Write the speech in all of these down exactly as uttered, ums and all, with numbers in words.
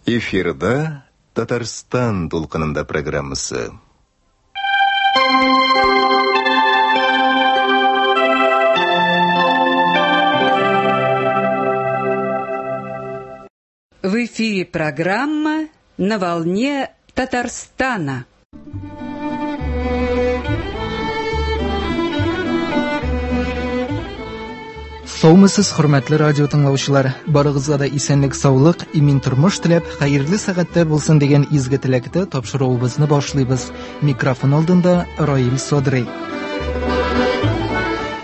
Эфирда Татарстан дулкынында программасы. В эфире программа «На волне Татарстана». Саумысыз, хөрмәтле радио тыңлаучылар! Барыгызга да исәнлек, саулык, имин тормыш теләп, хәерле сәгатьтә булсын дигән изге теләктә тапшыруыбызны башлыйбыз. Микрофон алдында Раил Садрый.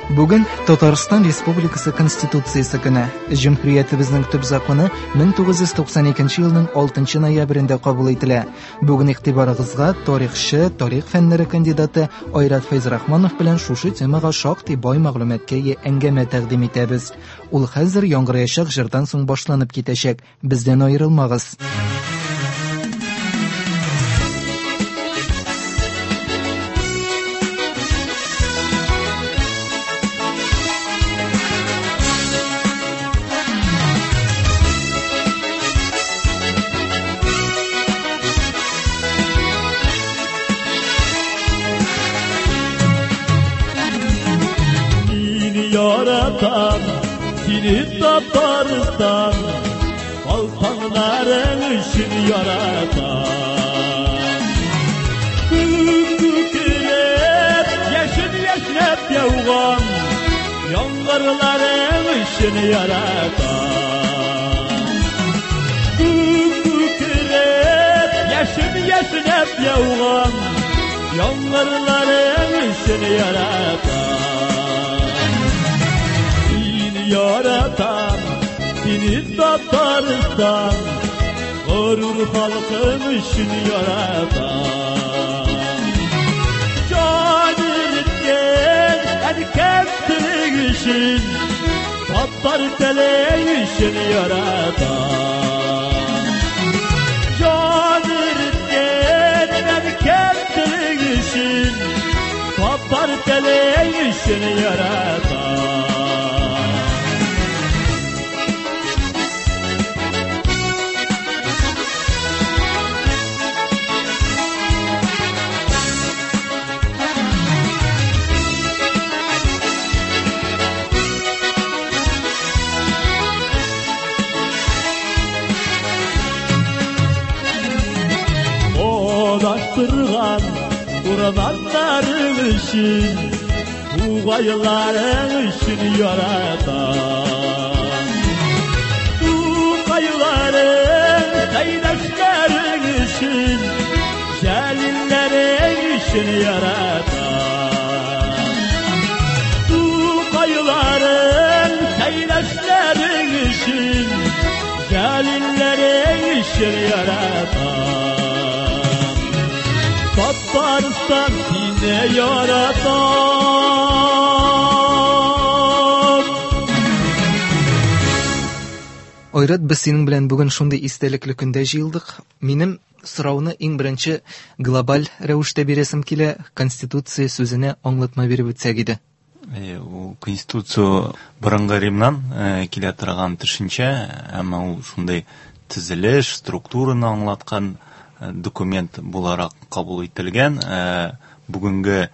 Бүген Татарстан Республикасы Конституциясе көне. Җөмһүриятебезнең төп законы мең тугыз йөз туксан икенче елның алтынчы ноябрендә кабул ителә. Бүген игътибарыгызга тарихчы, тарих фәннәре кандидаты Айрат Фәйзрахманов белән шушы темага шактый бай мәгълүматка ия әңгәмә тәкъдим итәбез. Ул хәзер яңгыраячак җырдан соң башланып китәчәк. Бездән аерылмагыз. Yaratan seni Tatarstan, Balkanların için yaratan. Kükürep yeşil yeşnep yavğan, yangırların için yaratan. Kükürep yeşil yeşnep yavğan, yangırların için yaratan. Yaratan seni Tatarstan, gurur halkım için yaratan. Can eritken erkek tili için, Tatar tili için yaratan. Can eritken erkek tili için, Tatar tili için yaratan. Ulaştırgan urmanların için, Tuğayların için yaratan. Tuğayların, kaynaşların için, Celillerin için yaratan. Tuğayların, kaynaşların için, Celillerin için yaratan. Tatarstan seni yaratan. Айрат, без синең белән бүген шундый истәлекле көндә җыелдык. Минем сорауны иң беренче глобаль рәвештә бирәсем килә, Конституция сүзенә аңлатма биреп үтсәк иде. Ул Конституция борынгы Римнан килә торган төшенчә, әмма ул шундый төзелеш, структураны аңлаткан документ буларак кабул ителгән. Бүгенге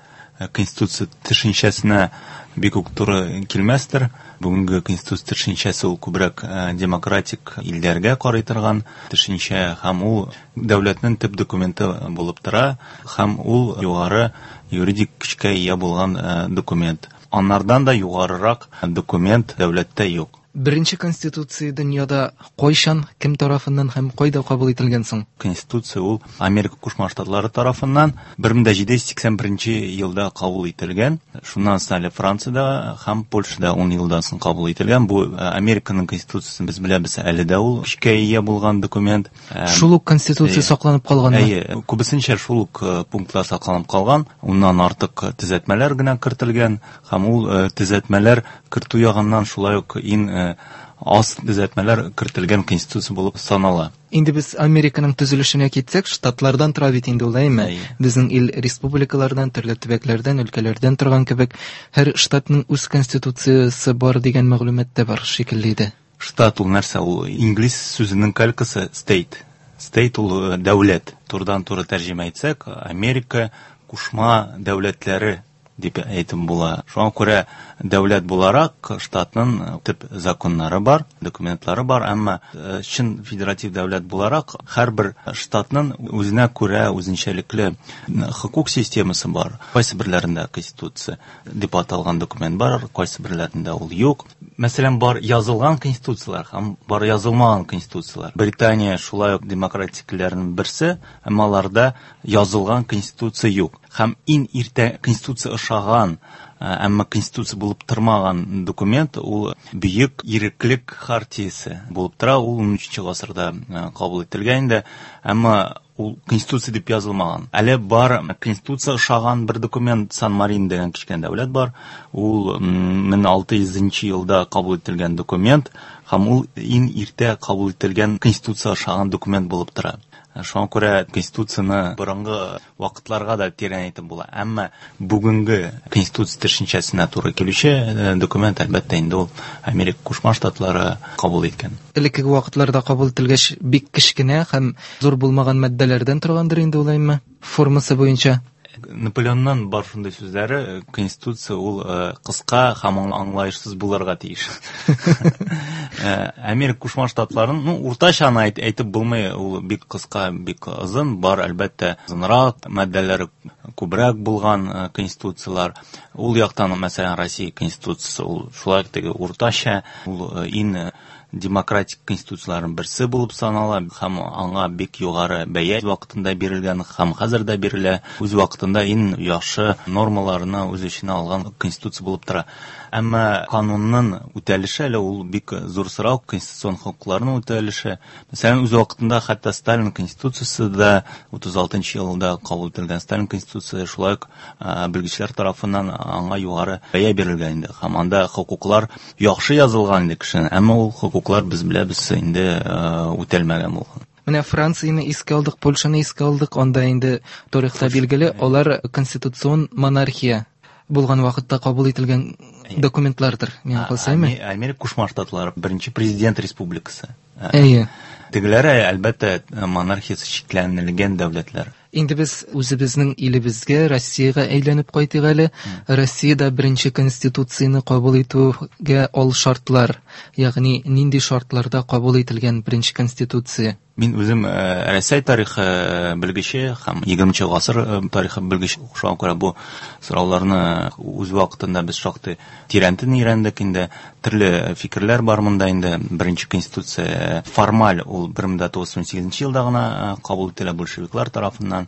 Конституция төшенчәсенә бик үк туры килмәстер. Бүгенге Конституция төшенчәсе ул күбрәк демократик илләргә карый торган төшенчә, һәм ул дәүләтнең төп документы булып тора, һәм ул югары юридик көчкә ия булган документ. Аннардан да югарырак документ дәүләттә юк. Беренче Конституция дөньяда кайчан, кем тарафыннан һәм кайда кабул ителгән соң? Конституция ул Америка Кушма Штатлары тарафыннан бер мең җиде йөз сиксән беренче елда кабул ителгән. Шуннан соң әле Франциядә һәм Польшада ун елдан соң кабул ителгән. Бу Американың Конституциясын без беләбез, әле дә ул көчкә ия булган документ. Шул ук Конституция сакланып калганмы? Әйе, күбесенчә шул ук пунктлар сакланып калган. Уннан артык төзәтмәләр генә кертелгән, һәм ул төзәтмәләр кертү ягыннан шулай ук иң аз төзәтмәләр кертелгән конституция булып санала. Инде без Американың төзелешенә китсәк, штатлардан тора бит инде ул, әйме? Безнең ил республикалардан, төрле төбәкләрдән, өлкәләрдән торган кебек, һәр штатның үз конституциясе бар дигән мәгълүмат та бар шикелле иде. Штат ул нәрсә? Ул инглиз сүзенең калькасы state. State ул дәүләт. Турыдан-туры тәрҗемә итсәк, Америка кушма дәүләтләре дип әйтеп була. Шуңа күрә дәүләт буларак штатның төп законнары бар, документлары бар, әмма чын федератив дәүләт буларак һәрбер штатның үзенә күрә үзенчәлекле хокук системасы бар. Кайсы берләрендә конституция дип аталган документ бар, кайсы берләрендә ул юк. Мәсәлән, бар язылган конституцияләр һәм бар язылмаган конституцияләр. Британия шулай ук демократикләрнең берсе, әмма аларда язылган конституция юк. Һәм иң иртә конституция ошаган, әмма конституция булып тормаган документ ул Бөек Иреклек хартиясе булып тора. Ул унөченче гасырда кабул ителгән инде, әмма ул конституция дип язылмаган. Әле бар конституция ошаган бер документ, Сан-Марино дигән кечкенә дәүләт бар. Ул мең алты йөзенче елда кабул ителгән документ һәм ул иң иртә кабул ителгән конституция ошаган документ булып тора. Шуңа күрә конституцияне борынгы вакытларга да тирән әйтеп була. Әмма бүгенге конституция төшенчәсенә туры килүче документ, әлбәттә, инде ул Америка Кушма Штатлары кабул иткән. Элеккеге вакытларда кабул ителгәч, бик кечкенә һәм зур булмаган маддәләрдән торгандыр инде ул, әйме? Формасы буенча. Наполеоннан бар шундый сүзләре, конституция ул кыска һәм аңлаешсыз булырга тиеш. Америка Кушма Штатларын, ну, уртача аны әйтеп булмый, ул бик кыска, бик озын, бар, әлбәттә, озынрак, маддәләре күбрәк булган конституцияләр. Ул яктан, мәсәлән, Россия конституциясе ул шулай теге уртача, ул иң демократик конституцияләрнең берсе булып санала һәм аңа бик югары бәя вакытында бирелгән һәм хәзер дә бирелә. Үз вакытында иң яхшы нормаларны үз эченә алган конституция булып тора. Әмма канунның үтәлеше әле ул бик зур сорау, конституцион хокукларның үтәлеше. Мәсәлән, үз вакытында хәтта Сталин конституциясе дә утыз алтынчы елда кабул ителгән Сталин конституциясе шулай ук белгечләр тарафыннан аңа югары бәя бирелгән инде. Һәм анда хокуклар яхшы язылган инде кешенең, әмма ул хокуклар без беләбез инде үтәлмәгән булган. Менә Францияне искә алдык, Польшаны искә алдык, анда инде тарихта билгеле, алар конституцион монархия булган вакытта кабул ителгән документлардыр, миңа калса, әйме? Америка Кушма Штатлары беренче президент республикасы. Әйе. Тегеләре, әлбәттә, монархиясе чикләнелгән дәүләтләр. Инде без үзебезнең илебезгә, Россиягә әйләнеп кайтыйк әле. Россиядә беренче конституцияне кабул итүгә ал шартлар, ягъни нинди шартларда кабул ителгән беренче конституция? Мин үзем Рәсәй тарихы белгече һәм егерменче гасыр тарихы белгече. Шуңа күрә бу сорауларны үз вакытында без шактый тирәнтен өйрәндек инде. Төрле фикерләр бар монда инде. Беренче конституция формаль ул бер мең тугыз йөз унсигезенче елда гына кабул ителә большевиклар тарафыннан.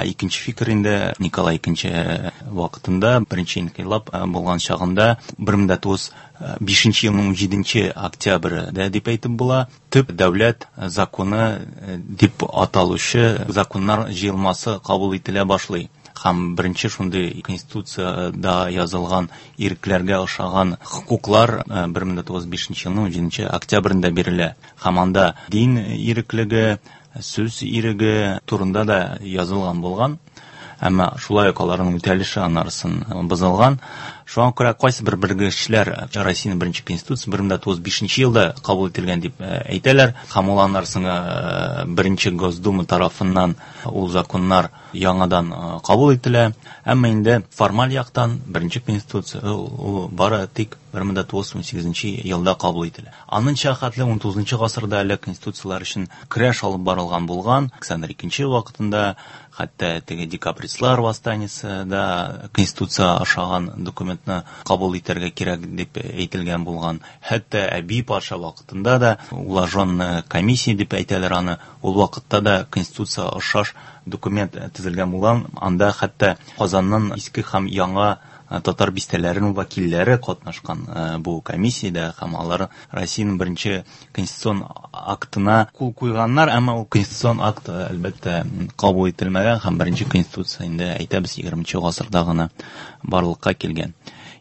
Икенче фикер инде Николай икенче вакытында беренче инкыйлаб булган чагында бер мең тугыз йөз бишенче елның унҗиденче октябрендә дип әйтеп була. Төп дәүләт законы дип аталучы законнар җыелмасы кабул ителә башлый. Һәм беренче шундый конституцияда язылган ирекләргә ошаган хокуклар бер мең тугыз йөз бишенче елның унҗиденче октябрендә бирелә. Һәм анда дин иреклеге, сүз иреге турында да язылган булган. Әмма шулай ук аларның үтәлеше анарысын бозылган. Шуңа күрә кайсы бер белгечләр Россиянең беренче конституциясе бер мең тугыз йөз бишенче елда кабул ителгән дип әйтәләр. Һәм ул анарысын беренче Госдума тарафыннан ул законнар яңадан кабул ителә. Әмма инде формаль яктан беренче конституция ул бары тик бер мең тугыз йөз унсигезенче елда кабул ителә. Анынча хәтле унтугызынчы гасырда әле конституцияләр өчен көрәш алып барылган булган. Александр икенче вакытында хәтта теге декабристлар восстаниесе да конституция ашаган документны кабул итәргә кирәк дип әйтелгән булган. Хәтта Әби патша вакытында да уложенная комиссия дип әйтәләр аны. Ул вакытта да конституция ошаш документ төзелгән булган. Анда хәтта Казанның иске һәм яңа татар бистәләренең вәкилләре катнашкан бу комиссиядә һәм алар Россиянең беренче конституцион актына кул куйганнар, әмма ул конституцион акт әлбәттә кабул ителмәгән һәм беренче конституция инде әйтәбез егерменче гасырда гына барлыкка килгән.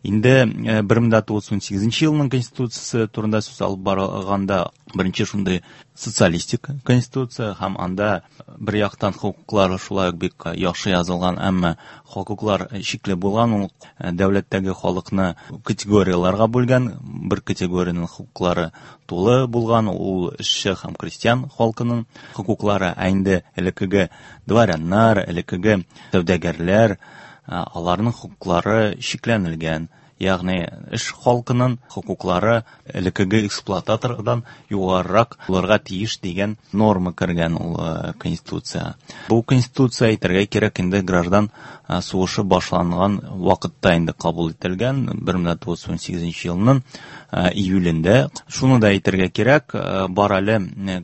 Инде бер мең тугыз йөз унсигезенче елның конституциясе турында сүз алып барганда, беренче шундый социалистик конституция, һәм анда бер яктан хокуклар шулай ук бик яхшы язылган, әмма хокуклар шикле булган. Ул дәүләттәге халыкны категорияләргә бүлгән, бер категориянең хокуклары тулы булган, ул эшче һәм крестьян халкының хокуклары, ә инде элеккеге дворяннар, элеккеге сәүдәгәрләр, аларның хокуклары чикләнелгән. Ягъни эш халкының хокуклары элеккеге эксплуататордан югарырак булырга тиеш дигән норма кергән ул конституция. Бу конституция, әйтергә кирәк, инде граждан сугышы башланган вакытта инде кабул ителгән, бер мең тугыз йөз унсигезенче елның июлендә. Шуны да әйтергә кирәк, бар әле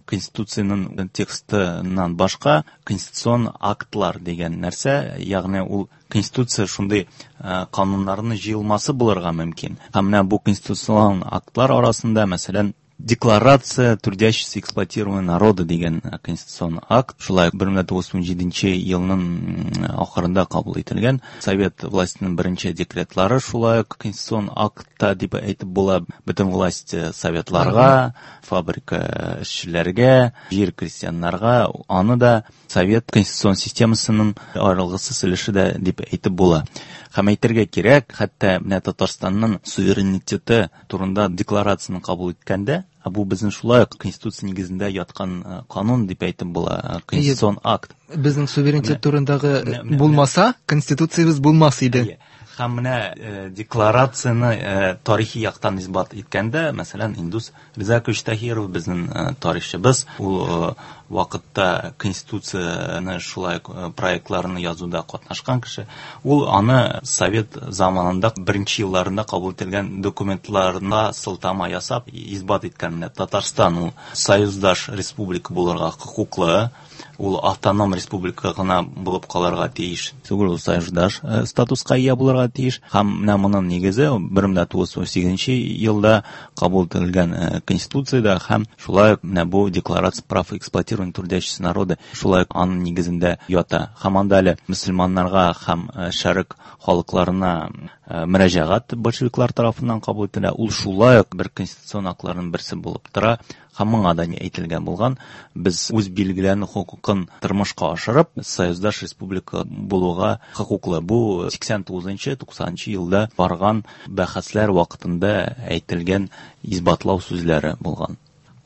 конституциянең текстыннан башка конституцион актлар дигән нәрсә, ягъни ул конституция шундый кануннарның җыелмасы булырга мөмкин. Һәм менә бу конституцион актлар арасында, мәсәлән, Декларация трудящихся эксплуатированного народа дигән конституцион акт, шулай бер мең тугыз йөз унҗиденче елның ахырында кабул ителгән. Совет властенең беренче декретлары шулай ук конституцион актта дип әйтеп була. Бөтен власть советларга, фабрика эшчеләргә, җир крестьяннарга, аны да совет конституцион системасының аерылгысыз өлеше дә дип әйтеп була. Һәм әйтергә кирәк, хәтта менә Татарстанның суверенитеты турында декларацияне кабул иткәндә, бу безнең шулай ук конституция нигезендә яткан канун дип әйтеп була, конституцион акт. Безнең суверенитет турындагы булмаса, конституциябез булмас иде. Һәм менә декларацияне тарихи яктан исбат иткәндә, мәсәлән, Индус Ризакович Таһиров, безнең тарихчыбыз, ул вакытта конституцияне шулай проектларны язуда катнашкан кеше, ул аны совет заманында беренче елларында кабул ителгән документларына сылтама ясап исбат иткән. Менә Татарстан ул союздаш республика булырга хокуклы, ул автоном республика гына булып калырга тиеш түгел, ул союздаш статуска ия булырга тиеш. Һәм менә моның нигезе бер мең тугыз йөз унсигезенче елда кабул ителгән конституцияда һәм шулай ук менә бу декларация прав эксплуатированных трудящихся народа шулай ук аның нигезендә ята. Һәм анда әле мөселманнарга һәм шәрык халыкларына мөрәҗәгать большевиклар тарафыннан кабул ителә. Ул шулай ук бер конституцион актларның берсе булып тора. Һәм моңа да әйтелгән булган, без үз билгеләнү хокукын тормышка ашырып, союздаш республика булуга хокуклы. Бу сиксән тугызынчы, туксанынчы елда барган бәхәсләр вакытында әйтелгән исбатлау сүзләре булган.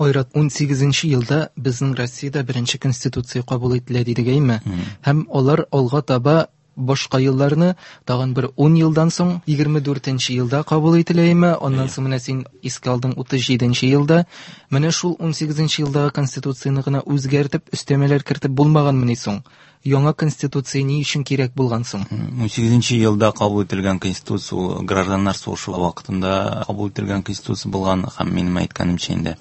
Айрат, унсигезенче елда безнең Россиядә беренче конституция кабул ителә дидек, әйме? Һәм алар алга таба башка елларны тагын бер ун елдан соң егерме дүртенче елда кабул ителәме? Аннан соң менә син искә алдың утыз җиденче елда. Менә шул унсигезенче елдагы конституцияне гына үзгәртеп, өстәмәләр кертеп булмаганмыни соң? Яңа конституция ни өчен кирәк булган соң? Унсигезенче елда кабул ителгән конституция ул гражданнар сугышы вакытында кабул ителгән конституция булган, һәм минем әйткәнемчә инде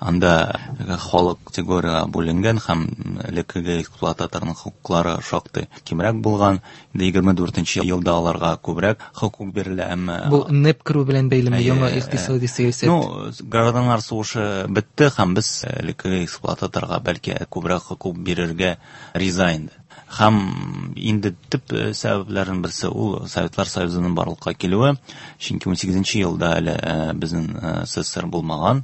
анда халык категорияга бүленгән һәм элеккеге эксплуататорның хокуклары шактый кимрәк булган. Инде егерме дүртенче елда аларга күбрәк хокук бирелә, әмма бу НЭП керү белән бәйлеме яңа икътисади сәясәт? Ну, гражданнар сугышы бетте һәм без элеккеге эксплуататорга бәлки күбрәк хокук бирергә риза инде. Һәм инде төп сәбәпләрнең берсе ул Советлар Союзының барлыкка килүе, чөнки унсигезенче елда әле безнең СССР булмаган,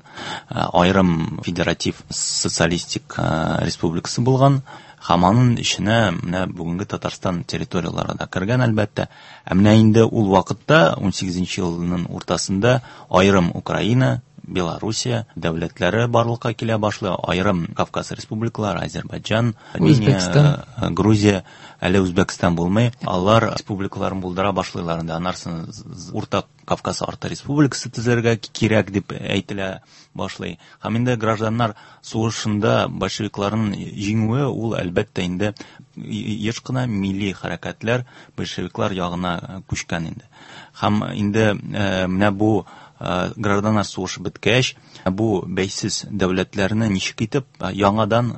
аерым федератив социалистик республикасы булган. Һәм аның эченә менә бүгенге Татарстан территорияләре дә кергән, әлбәттә. Ә менә инде ул вакытта унсигезенче елның уртасында аерым Украина, Белоруссия дәүләтләре барлыкка килә башлый, аерым Кавказ республикалары, Азербайджан, Армения, Грузия, әле Үзбәкстан булмый, алар республикаларын булдыра башлыйлар. Инде анарсын Урта Кавказ арты республикасы төзергә кирәк дип әйтелә башлый. Һәм инде гражданнар сугышында большевикларның җиңүе ул әлбәттә инде еш кына милли хәрәкәтләр большевиклар ягына күчкән инде. Һәм инде менә бу гражданнар сугышы беткәч, бу бәйсез дәүләтләрне ничек итеп яңадан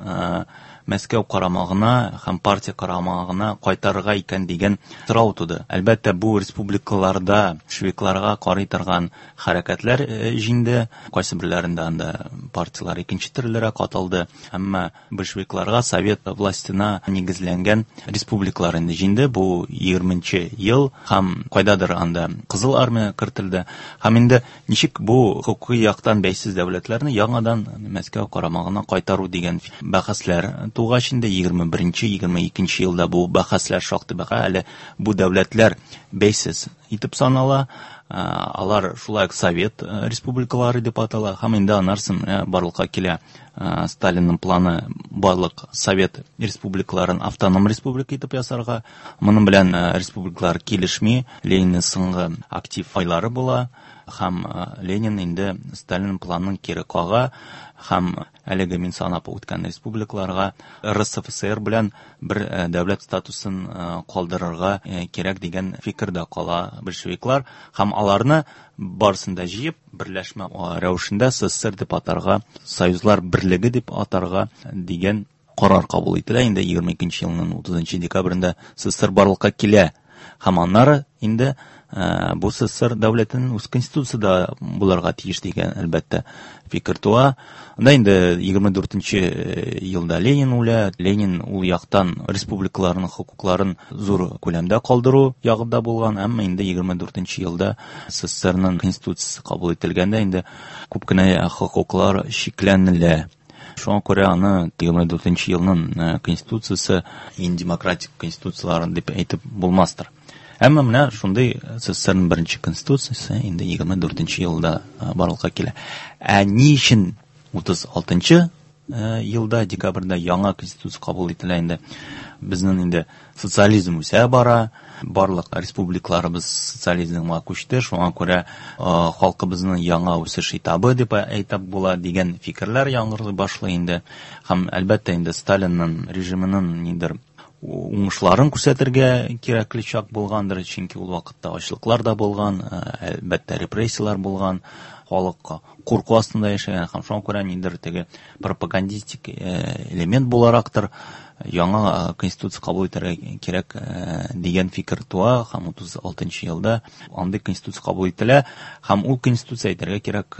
Мәскәү карамагына һәм партия карамагына кайтарырга икән дигән сорау туды. Әлбәттә, бу республикаларда большевикларга карый торган хәрәкәтләр җиңде. Кайсы берләрендә анда партияләр икенче төрлерәк аталды. Әмма большевикларга совет властена нигезләнгән республикалар инде җиңде. Бу егерменче ел һәм кайдадыр анда Кызыл армия кертелде. Һәм инде ничек бу хокукый яктан бәйсез дәүләтләрне яңадан Мәскәү карамагына кайтару дигән бәхәсләр тугач инде егерме беренче, егерме икенче елда бу бәхәсләр шактый бәхә. Әле бу дәүләтләр бәйсез итеп санала. Алар шулай ук совет республикалары дип атала. Һәм инде анарсын барлыкка килә Сталинның планы барлык совет республикаларын автоном республика итеп ясарга. Моның белән республикалар килешми. Ленинның соңгы актив айлары була. Һәм Ленин инде Сталин планын кире кага һәм әлеге мин санап үткән республикаларга эр эс эф эс эр белән бер дәүләт статусын калдырырга кирәк дигән фикердә кала большевиклар һәм аларны барысын да җыеп берләшмә рәвешендә эс эс эс эр дип атарга, Союзлар берлеге дип атарга дигән карар кабул ителә. Инде егерме икенче елның утызынчы декабрендә эс эс эс эр барлыкка килә. Һәм аннары инде бу эс эс эс эр дәүләтенең үз конституциясе дә булырга тиеш дигән әлбәттә фикер туа. Анда инде егерме дүртенче елда Ленин үлә. Ленин ул яктан республикаларның хокукларын зур күләмдә калдыру ягында булган, әмма инде егерме дүртенче елда эс эс эс эрнең конституциясе кабул ителгәндә инде күп кенә хокуклар чикләнелә. Шуңа күрә аны егерме дүртенче елның конституциясе иң демократик конституцияларын дип әйтеп булмастыр. Әмма менә шундый эс эс эс эрнең беренче конституциясе инде егерме дүртенче елда барлыкка килә. Ә ни өчен утыз алтынчы елда декабрьдә яңа конституция кабул ителә инде? Безнең инде социализм үсә бара, барлык республикаларыбыз социализмга күчте, шуңа күрә халкыбызның яңа үсеш этабы дип әйтеп була дигән фикерләр яңгырый башлый инде. Һәм әлбәттә инде Сталинның режимының нидер уңышларын күрсәтергә кирәкле чак булгандыр, чөнки ул вакытта ачлыклар да булган, әлбәттә репрессияләр булган, халык курку астында яшәгән һәм шуңа күрә нидер теге пропагандистик элемент буларактыр яңа конституция кабул итәргә кирәк дигән фикер туа һәм утыз алтынчы елда андый конституция кабул ителә һәм ул конституция әйтергә кирәк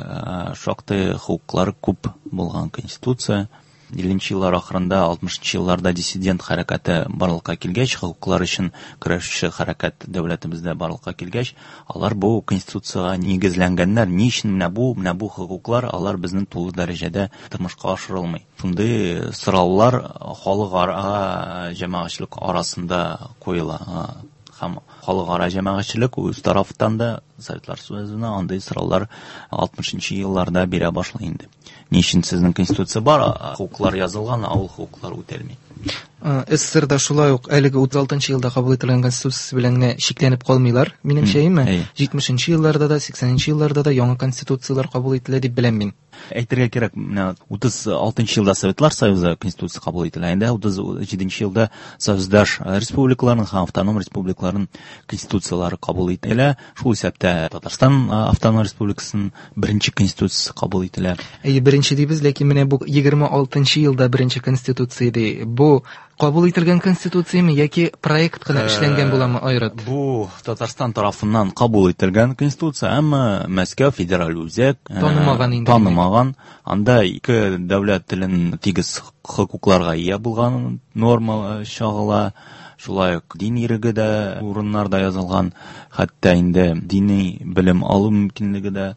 шактый хокуклары күп булган конституция. Илленче еллар ахырында, алтмышынчы елларда диссидент хәрәкәте барлыкка килгәч, хокуклар өчен көрәшче хәрәкәт дәүләтебездә барлыкка килгәч, алар бу конституциягә нигезләнгәннәр. Ни өчен менә бу, менә бу хокуклар алар безнең тулы дәрәҗәдә тормышка ашырылмый? Шундый сораулар халыкара җәмәгатьчелек арасында куела. Һәм халыкара җәмәгатьчелек үз тарафыннан да Советлар Союзына андый сораулар алтмышынчы елларда бирә башлый инде. Ни өчен сезнең конституция бар, хокуклар язылган, ә ул хокуклар үтәлми? эс эс эс эрдә шулай ук әлеге утыз алтынчы елда кабул ителгән конституция белән генә чикләнеп калмыйлар, минемчә, әйеме? Әйе. Җитмешенче елларда да, сиксәненче елларда да яңа конституцияләр кабул ителә дип беләм мин. Әйтергә кирәк, менә утыз алтынчы елда Советлар Союзы конституциясе кабул ителә, инде утыз җиденче елда союздаш республикаларның һәм автоном республикаларның конституцияләре кабул ителә. Шул исәптә Татарстан автоном республикасының беренче конституциясе кабул ителә. Әйе, беренче дибез, ләкин менә бу егерме алтынчы елда беренче конституция ди. Бу кабул ителгән конституцияме яки проект кына эшләнгән буламы, Айрат? Бу Татарстан тарафыннан кабул ителгән конституция, әмма Мәскәү федераль үзәк, э, танымаган инде. Танымаган. Анда ике дәүләт телен тигез хокукларга ия булган норма чагыла. Шулай ук дин иреге дә урыннарда язылган, хәтта инде дини белем алу мөмкинлеге дә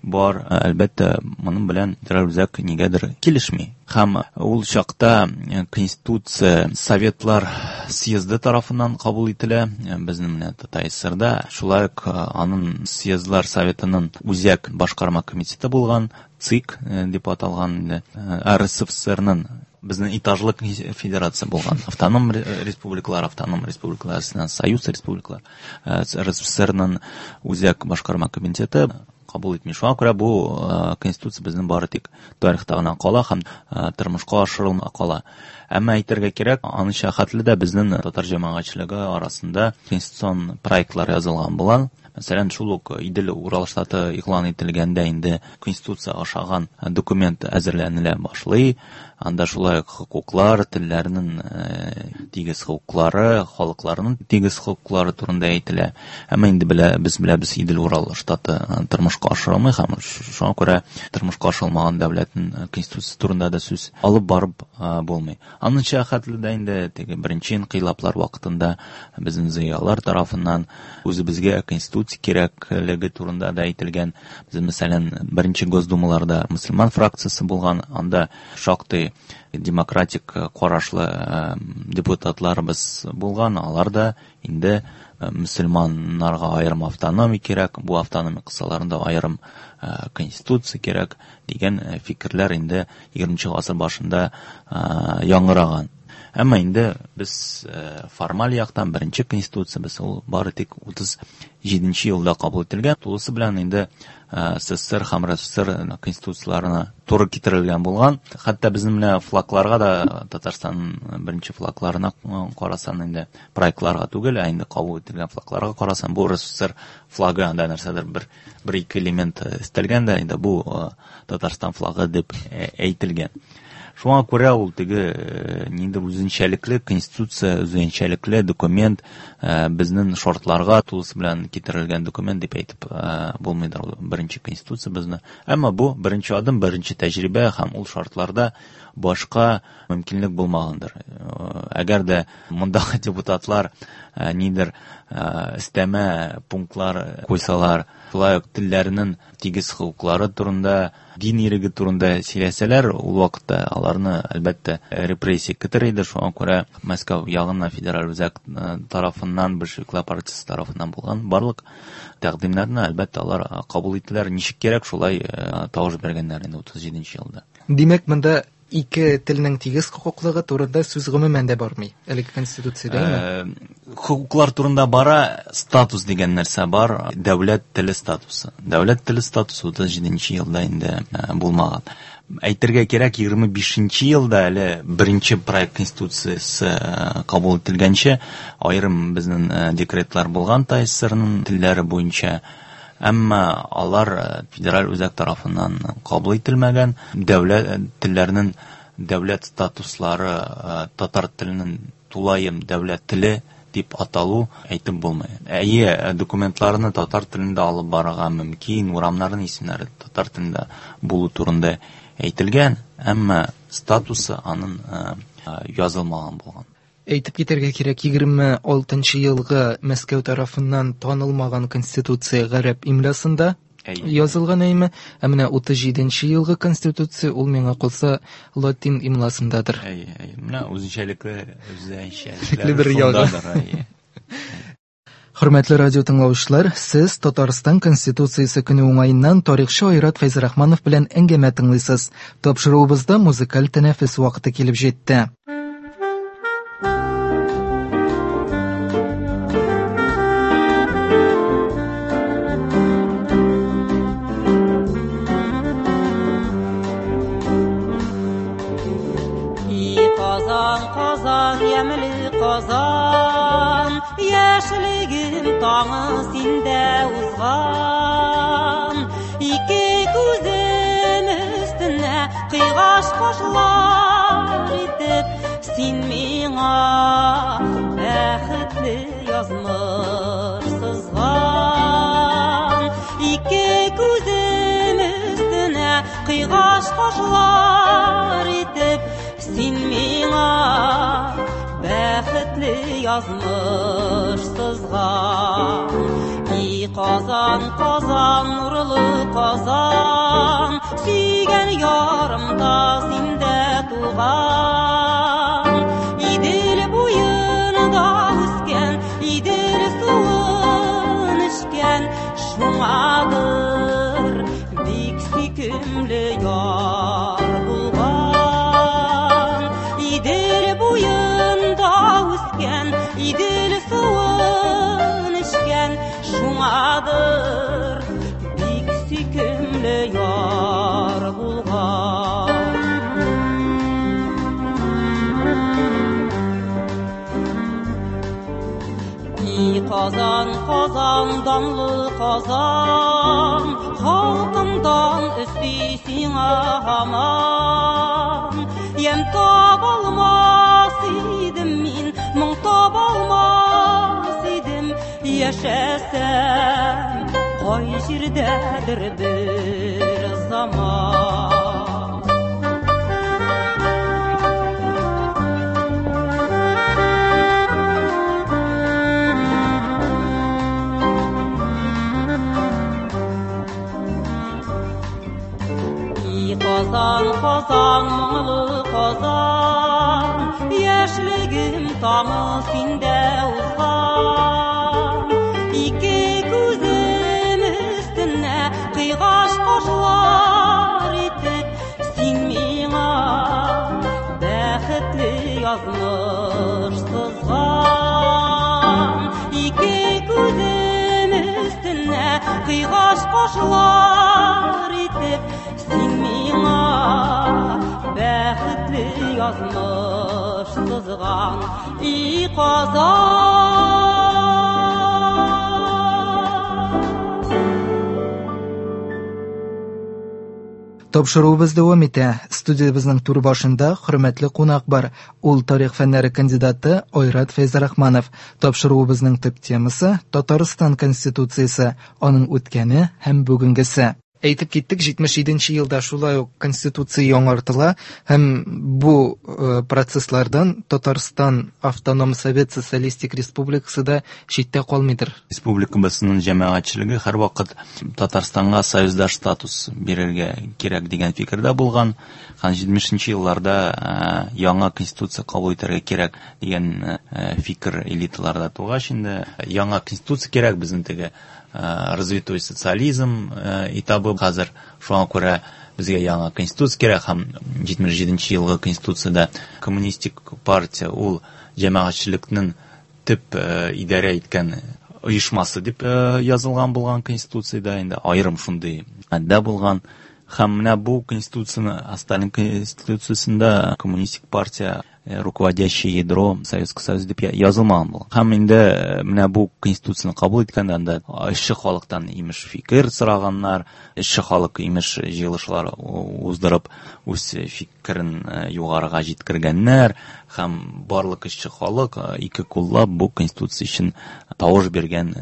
бар. Әлбәттә, моның белән федераль үзәк нигәдер килешми. Һәм ул чакта Конституция Советлар съезды тарафыннан кабул ителә. Безнең менә ТТССРда шулай ук аның съездлар советының үзәк башкарма комитеты булган, ЦИК дип аталган инде, эр эс эф эс эрнең безнең этажлы федерация булган. Автоном республикалар, автоном республикалар, союз республикалар, эр эс эф эс эрнең үзәк башкарма комитеты кабул итми. Шуңа күрә бу, э, конституция безнең бары тик тарихта гына кала һәм, э, тормышка ашырылмый кала. Әмма әйтергә кирәк, анча хәтле дә безнең татар җәмәгатьчелеге арасында конституцион проектлар язылган булган. Мәсәлән, шул ук Идел Урал штаты игълан ителгәндә инде конституция ашаган документ әзерләнелә башлый. Анда шулай ук хокуклар, телләрнең тигез хокуклары, халыкларның тигез хокуклары турында әйтелә. Әмма инде белә, без беләбез, Идел Урал штаты тормышка ашырылмый һәм шуңа күрә тормышка ашырылмаган дәүләтнең конституциясе турында да сүз алып барып булмый. Анынча хәтле дә инде теге беренче инкыйлаблар вакытында безнең зыялылар тарафыннан үзебезгә конституция кирәклеге турында да әйтелгән. Без, мәсәлән, беренче Госдумаларда мөселман фракциясе булган, анда шактый демократик карашлы депутатларыбыз булган, алар да инде мөселманнарга аерым автономия кирәк, бу автономия кысаларында аерым конституция кирәк дигән фикерләр инде егерменче гасыр башында яңгыраган. Әмма инде без формаль яктан беренче конституциябез ул бары тик утыз җиденче елда кабул ителгән. Тулысы белән инде СССР һәм РСФСР конституцияларына туры китерелгән булган. Хәтта безнең менә флагларга да, Татарстан беренче флагларына карасан инде проектларга түгел, ә инде кабул ителгән флагларга карасан, бу РСФСР флагы, анда нәрсәдер бер бер ике элемент өстәлгән дә, инде бу Татарстан флагы дип әйтелгән. Шуңа күрә ул теге ниндидер үзенчәлекле конституция, үзенчәлекле документ, безнең шартларга тулысы белән китерелгән документ дип әйтеп булмыйдыр ул беренче конституция безне. Әмма бу беренче адым, беренче тәҗрибә һәм ул шартларда башка мөмкинлек булмагандыр. Әгәр дә мондагы депутатлар нидер өстәмә пунктлар куйсалар, шулай ук телләрнең тигез хокуклары турында, дин иреге турында сөйләсәләр, ул вакытта аларны әлбәттә репрессия көтер иде. Шуңа күрә Мәскәү ягыннан, федераль үзәк тарафыннан, большевиклар партиясе тарафыннан булган барлык тәкъдимнәрне әлбәттә алар кабул иттеләр. Ничек кирәк, шулай тавыш биргәннәр инде утыз җиденче елда. Димәк, монда ике телнең тигез хокуклыгы турында сүз гомумән дә бармый әлеге конституциядә, әйме? Хокуклар турында бара, статус дигән нәрсә бар, дәүләт теле статусы. Дәүләт теле статусы утыз җиденче елда инде булмаган. Әйтергә кирәк, егерме бишенче елда әле беренче проект конституциясе кабул ителгәнче аерым безнең декретлар булган ТАССРның телләре буенча. Әмма алар федераль үзәк тарафыннан кабул ителмәгән. Дәүләт телләренең дәүләт статуслары, татар теленең тулаем дәүләт теле дип аталу әйтеп булмый. Әйе, документларны татар телендә алып барырга мөмкин, урамнарның исемнәре татар телендә булу турында әйтелгән, әмма статусы аның язылмаган булган. Әйтеп китәргә кирәк, егерме алтынчы елгы Мәскәү тарафыннан танылмаган конституция гарәп имлясында язылган, әйме? Ә менә утыз җиденче елгы конституция ул миңа калса латин имласындадыр. Әйе, әйе. Менә үзенчәлекле, үзенчәлекле бер ягы. Хөрмәтле радио тыңлаучылар, сез Татарстан Конституциясе көне уңаеннан тарихчы Айрат Фәйзрахманов белән әңгәмә тыңлыйсыз. Тапшыруыбызда музыкаль тәнәфес вакыты килеп җитте. Казан, яшьлегем таңы синдә узган. Ике күзем өстенә кыйгаш кашлар итеп, син миңа бәхетле язмыш сызган. Ике күзем өстенә кыйгаш кашлар итеп, син миңа бәхетле язмыш сызган. И Казан, Казан, нурлы Казан, сөйгән ярым да синдә туган. Идел буенда үскән, Идел суын эчкән, шуңадыр бик сөйкемле яр булган. Идел буенда үскән, Идел суын эчкән, шуңадыр бик сөйкемле яр булган. И Казан, Казан, данлы Казан, халкымдан өсти сиңа һаман. Ям табалмас идем мин, моң табалмас идем, яшәсәм кай җирдәдер бер заман. Казан, Казан, моңлы Казан, яшьлегем таңы синдә узган. Ике күзем өстенә кыйгач кашлар итеп, син миңа бәхетле язмыш сызган. Ике күзем өстенә кыйгач кашлар итеп, син миңа бәхетле язмыш сызган. И Казан! Тапшыруыбыз дәвам итә. Студиябезнең түр башында хөрмәтле кунак бар. Ул тарих фәннәре кандидаты Айрат Фәйзрахманов. Тапшыруыбызның төп темасы Татарстан Конституциясе, аның үткәне һәм бүгенгесе. Әйтеп киттек, җитмеш җиденче елда шулай ук Конституция яңартыла һәм бу процесслардан Татарстан Автоном Совет Социалистик Республикасы да читтә калмыйдыр. Республикабызның җәмәгатьчелеге һәрвакыт Татарстанга союздаш статус бирергә кирәк дигән фикердә булган. Һәм җитмешенче елларда яңа конституция кабул итәргә кирәк дигән фикер элиталарда тугач, инде яңа конституция кирәк, безнең теге развитой социализм этабы хәзер, шуңа күрә безгә яңа конституция кирәк. Һәм җитмеш җиденче елгы конституциядә коммунистик партия ул җәмәгатьчелекнең төп идарә иткән оешмасы дип язылган булган конституциядә, инде аерым шундый маддә булган. Һәм менә бу конституцияне, Сталин конституциясендә коммунистик партия руководящее ядро Советского Союза дип язылмаган булган. Һәм инде менә бу конституцияне кабул иткәндә анда эшче халыктан имеш фикер сораганнар, эшче халык имеш җыелышлар уздырып үз фикерен югарыга җиткергәннәр, һәм барлык эшче халык ике куллап бу конституция өчен тавыш биргән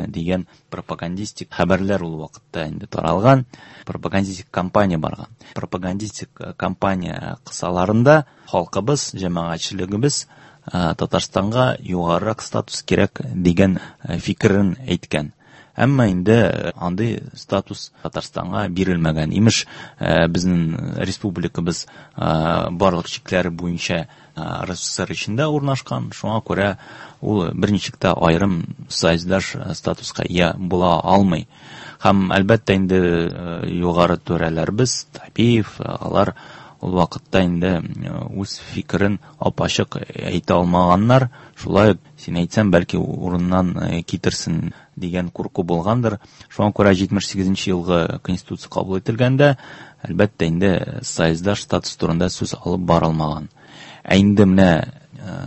дигән пропагандистик хәбәрләр ул вакытта инде таралган. Пропагандистик кампания барган. Пропагандистик кампания кысаларында халкыбыз, җәмәгатьчелегебез Татарстанга югарырак статус кирәк дигән фикерен әйткән. Әмма инде андый статус Татарстанга бирелмәгән. Имеш, безнең республикабыз барлык чикләре буенча РСФСР эчендә урнашкан, шуңа күрә ул берничек тә аерым союздаш статуска ия була алмый. Һәм әлбәттә инде югары түрәләрбез, Табиев, алар ул вакытта инде үз фикерен ап-ачык әйтә алмаганнар. Шулай син әйтсәң, бәлки урыннан китерсен дигән курку булгандыр. Шуңа күрә җитмеш сигезенче елгы конституция кабул ителгәндә, әлбәттә инде союздаш статус турында сүз алып барылмаган. Ә инде менә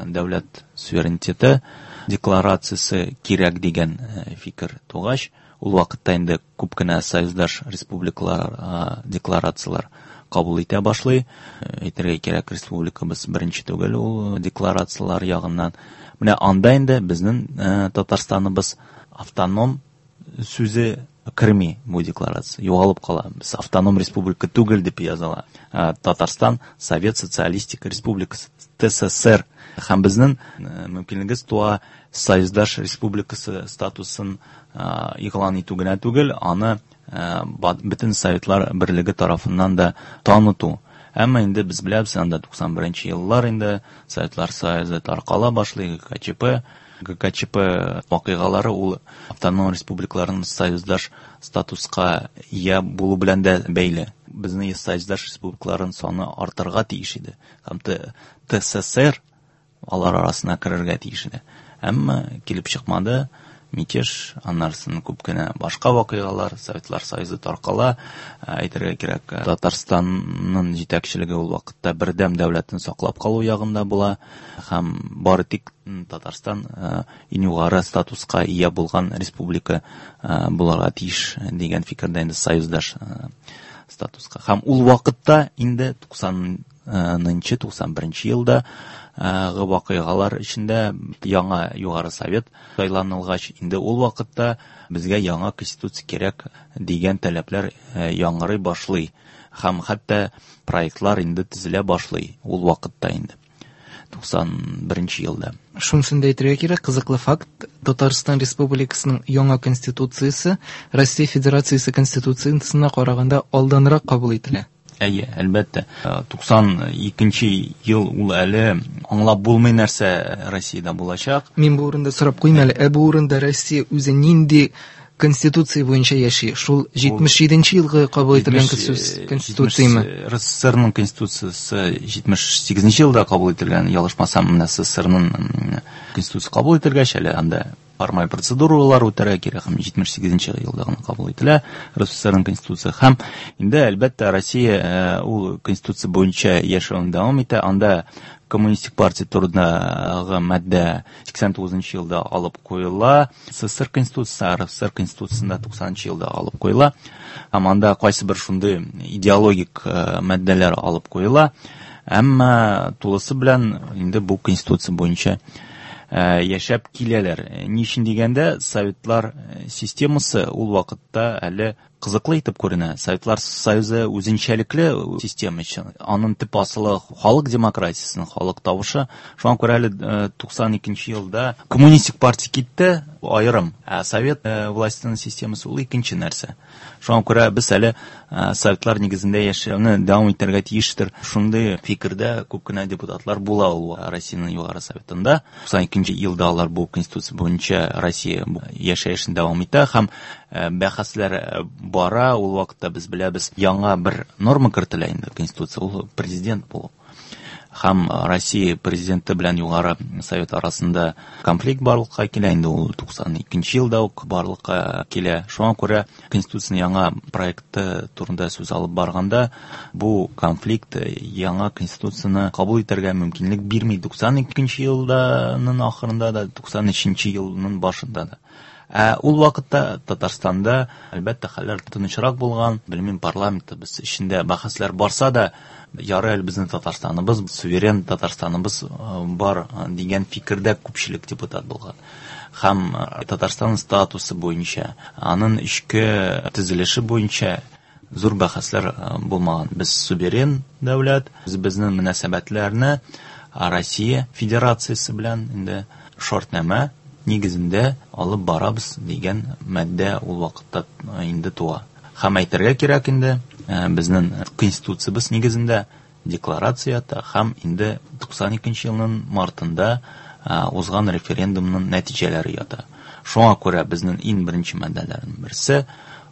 дәүләт суверенитеты декларациясе кирәк дигән фикер тугач, ул вакытта инде күп кенә союздаш республикалар декларацияләр кабул итә башлый. Әйтергә кирәк, республикабыз беренче түгел ул декларацияләр ягыннан. Менә анда инде безнең Татарстаныбыз автоном сүзе керми бу декларация, югалып кала. Без автоном республика түгел дип языла. Татарстан Совет Социалистик Республикасы, ТССР. Һәм безнең мөмкинлегебез туа союздаш республикасы статусын игълан итү генә түгел, аны бөтен Советлар Берлеге тарафыннан да таныту. Әмма инде без беләбез, анда туксан беренче еллар инде Советлар Союзы таркала башлый, ГКЧП. ГКЧП вакыйгалары ул автоном республикаларның союздаш статуска ия булу белән дә бәйле. Безнең союздаш республикаларның саны артырга тиеш иде. Һәм ТССР алар арасына керергә тиеш иде. Әмма килеп чыкмады. мятеж, аннарсын күп кенә башка вакыйгалар, Советлар Союзы таркала. Әйтергә кирәк, Татарстанның җитәкчелеге ул вакытта бердәм дәүләтен саклап калу ягында була һәм бары тик Татарстан иң югары статуска ия булган республика булырга тиеш дигән фикердә инде союздаш статуска. Һәм ул вакытта инде туксанынчы, туксан беренче елда вакыйгалар эчендә яңа Югары Совет сайланылгач, инде ул вакытта безгә яңа конституция кирәк дигән таләпләр яңгырый башлый һәм хәтта проектлар инде төзелә башлый ул вакытта инде туксан беренче елда. Шунысын да әйтергә кирәк, кызыклы факт, Татарстан Республикасының яңа конституциясе Россия Федерациясе конституциясенә караганда алданрак кабул ителә. Әйе, әлбәттә. Туксан икенче ел ул әле аңлап булмый нәрсә Россиядә булачак. Мин бу урында сорап куйм әле, ә бу урында Россия үзе нинди конституция буенча яши? Шул җитмеш җиденче елгы кабул ителгән Җитмеш, конституцияме? җитмеш, РСФСРның конституциясе җитмеш сигезенче елда кабул ителгән, ялгышмасам, менә СССРның конституциясе кабул ителгәч, әле анда формаль процедуралар үтәргә кирәк һәм җитмеш сигезенче елда гына кабул ителә РСФСРның конституциясе. Һәм инде, әлбәттә, Россия, э, ул конституция буенча яшәвен дәвам итә. Анда Коммунистик партия турындагы маддә сиксән тугызынчы елда алып куела. СССР конституциясе, РСФСР конституциясендә туксанынчы елда алып куела. Һәм анда кайсы бер шундый идеологик, э, маддәләр алып куела. Әмма тулысы белән инде бу конституция буенча, э, яшәп киләләр. Ни өчен дигәндә, Советлар системасы ул вакытта әле кызыклы итеп күренә. Советлар Союзы үзенчәлекле система өчен. Аның төп асылы халык демократиясенең халык тавышы. Шуңа күрә әле, э, туксан икенче елда коммунистик партия китте аерым, ә совет, э, властенең системасы ул икенче нәрсә. Шуңа күрә без әле, э, советлар нигезендә яшәүне дәвам итәргә тиештер. Шундый фикердә күп кенә депутатлар була ул Россиянең Югары Советында. Туксан икенче елда алар бу конституция буенча Россия яшәешен дәвам итә һәм, э, бәхәсләр, э, бара. Ул вакытта без беләбез, яңа бер норма кертелә инде конституция, ул президент булу. Һәм Россия президенты белән Югары Совет арасында конфликт барлыкка килә, инде ул туксан икенче елда ук барлыкка килә. Шуңа күрә конституцияның яңа проекты турында сүз алып барганда, бу конфликт яңа конституцияне кабул итәргә мөмкинлек бирми. Туксан икенче елданың ахырында да, туксан өченче елның башында да. Ә ул вакытта Татарстанда, әлбәттә, хәлләр тынычрак булган. Белмим, парламентта без эчендә бәхәсләр барса да, ярый әле безнең Татарстаныбыз, суверен Татарстаныбыз, э, бар дигән фикердә күпчелек депутат булган. Һәм, э, Татарстан статусы буенча, аның эчке төзелеше буенча зур бәхәсләр, э, булмаган. Без суверен дәүләт, без безнең мөнәсәбәтләрне Россия Федерациясе белән инде шартнамә нигезендә алып барабыз дигән маддә ул вакытта инде туа. Һәм әйтергә кирәк инде, э, безнең конституциябез нигезендә декларация ята һәм инде туксан икенче елның мартында, э, узган референдумның нәтиҗәләре ята. Шуңа күрә безнең иң беренче маддәләрнең берсе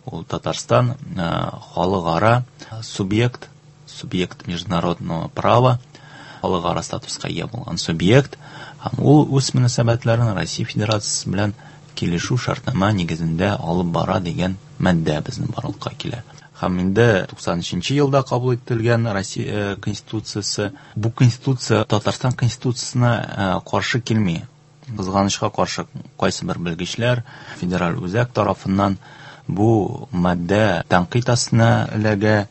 ул Татарстан, э, халыкара субъект, субъект международного права, халыкара статуска ия булган субъект, һәм ул үз мөнәсәбәтләрен Россия Федерациясе белән килешү шартнама нигезендә алып бара дигән маддә безнең барлыкка килә. Һәм инде туксан өченче елда кабул ителгән Россия, э, Конституциясе, бу Конституция Татарстан Конституциясенә, э, каршы килми. Кызганычка каршы, кайсы бер белгечләр федераль үзәк тарафыннан бу маддә тәнкыйть астына эләгә.